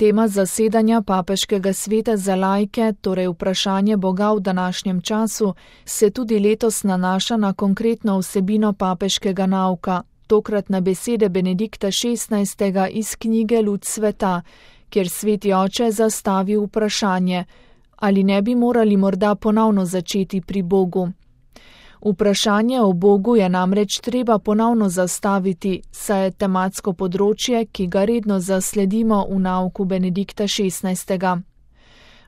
Tema zasedanja papeškega sveta za laike, torej vprašanje Boga v današnjem času, se tudi letos nanaša na konkretno vsebino papeškega nauka, tokrat na besede Benedikta XVI. Iz knjige Luč sveta, kjer sveti oče zastavi vprašanje, ali ne bi morali morda ponovno začeti pri Bogu. Vprašanje o Bogu je namreč treba ponovno zastaviti, saj je tematsko področje, ki ga redno zasledimo v nauku Benedikta XVI.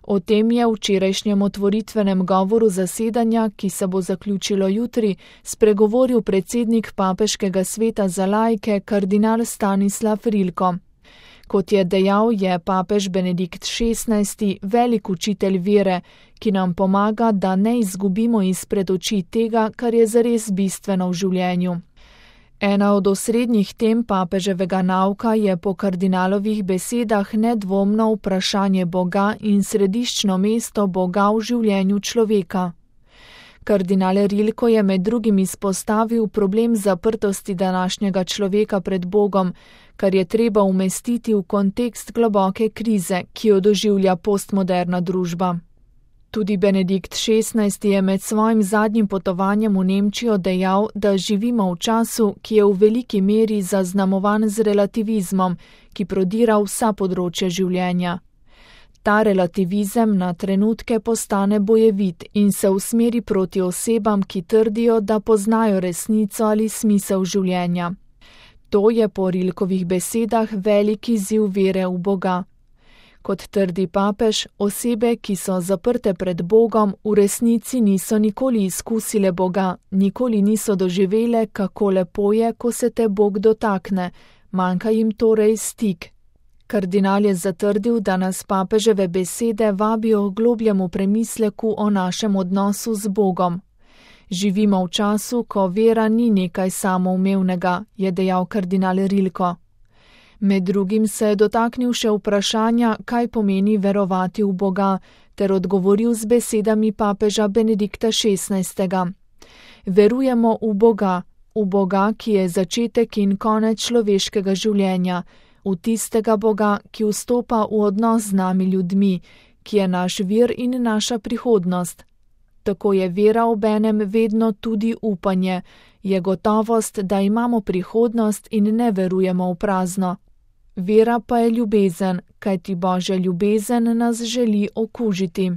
O tem je v včerajšnjem otvoritvenem govoru zasedanja, ki se bo zaključilo jutri, spregovoril predsednik papeškega sveta za laike kardinal Stanislav Rilko. Kot je dejal, je papež Benedikt XVI. Velik učitelj vere, ki nam pomaga, da ne izgubimo izpred oči tega, kar je zares bistveno v življenju. Ena od osrednjih tem papeževega nauka je po kardinalovih besedah nedvomno vprašanje Boga in središčno mesto Boga v življenju človeka. Kardinal Rilko je med drugim izpostavil problem zaprtosti današnjega človeka pred Bogom, kar je treba umestiti v kontekst globoke krize, ki jo doživlja postmoderna družba. Tudi Benedikt XVI. Je med svojim zadnjim potovanjem v Nemčijo dejal, da živimo v času, ki je v veliki meri zaznamovan z relativizmom, ki prodira vsa področja življenja. Ta relativizem na trenutke postane bojevit in se usmeri proti osebam, ki trdijo, da poznajo resnico ali smisel življenja. To je po Rilkovih besedah velik izziv vere v Boga. Kot trdi papež, osebe, ki so zaprte pred Bogom, v resnici niso nikoli izkusile Boga, nikoli niso doživele, kako lepo je, ko se te Bog dotakne, manjka jim torej stik. Kardinal je zatrdil, da nas papeževe besede vabijo k globljemu premisleku o našem odnosu z Bogom. Živimo v času, ko vera ni nekaj samoumevnega, je dejal kardinal Rilko. Med drugim se je dotaknil še vprašanja, kaj pomeni verovati v Boga, ter odgovoril z besedami papeža Benedikta XVI. Verujemo v Boga, ki je začetek in konec človeškega življenja, v tistega Boga, ki vstopa v odnos z nami ljudmi, ki je naš vir in naša prihodnost. Tako je vera obenem vedno tudi upanje, je gotovost, da imamo prihodnost in ne verujemo v prazno. Vera pa je ljubezen, kajti Božja ljubezen nas želi okužiti.